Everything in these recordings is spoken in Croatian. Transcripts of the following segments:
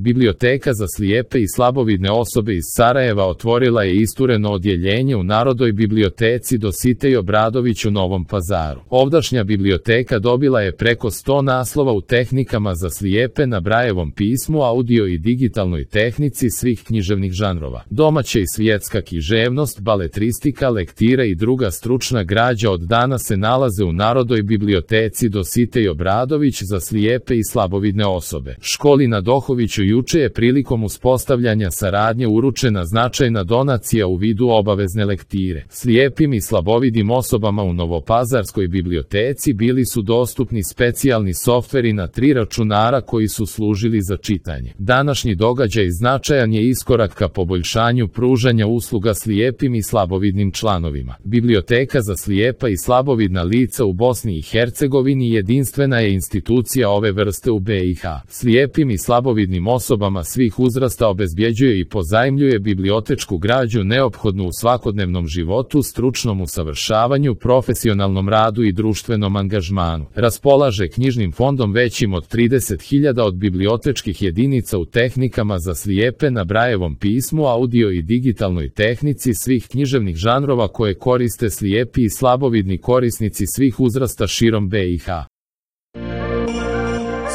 Biblioteka za slijepe i slabovidne osobe iz Sarajeva otvorila je istureno odjeljenje u Narodnoj biblioteci Dositej Obradović u Novom Pazaru. Ovdašnja biblioteka dobila je preko 100 naslova u tehnikama za slijepe na Brajevom pismu, audio i digitalnoj tehnici svih književnih žanrova. Domaća i svjetska književnost, baletristika, lektira i druga stručna građa od danas se nalaze u Narodnoj biblioteci Dositej Obradović za slijepe i slabovidne osobe. Školi na Dohoviću juče je prilikom uspostavljanja saradnje uručena značajna donacija u vidu obavezne lektire. Slijepim i slabovidnim osobama u Novopazarskoj biblioteci bili su dostupni specijalni softveri na 3 računara koji su služili za čitanje. Današnji događaj značajan je iskorak ka poboljšanju pružanja usluga slijepim i slabovidnim članovima. Biblioteka za slijepa i slabovidna lica u Bosni i Hercegovini jedinstvena je institucija ove vrste u BiH. Slijepim i slabovidnim osobama svih uzrasta obezbjeđuje i pozajmljuje bibliotečku građu neophodnu u svakodnevnom životu, stručnom usavršavanju, profesionalnom radu i društvenom angažmanu. Raspolaže knjižnim fondom većim od 30.000 od bibliotečkih jedinica u tehnikama za slijepe na Brajevom pismu, audio i digitalnoj tehnici svih književnih žanrova koje koriste slijepi i slabovidni korisnici svih uzrasta širom BiH.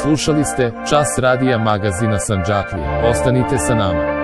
Slušali ste Čas radija magazina Sandžaklija. Ostanite sa nama.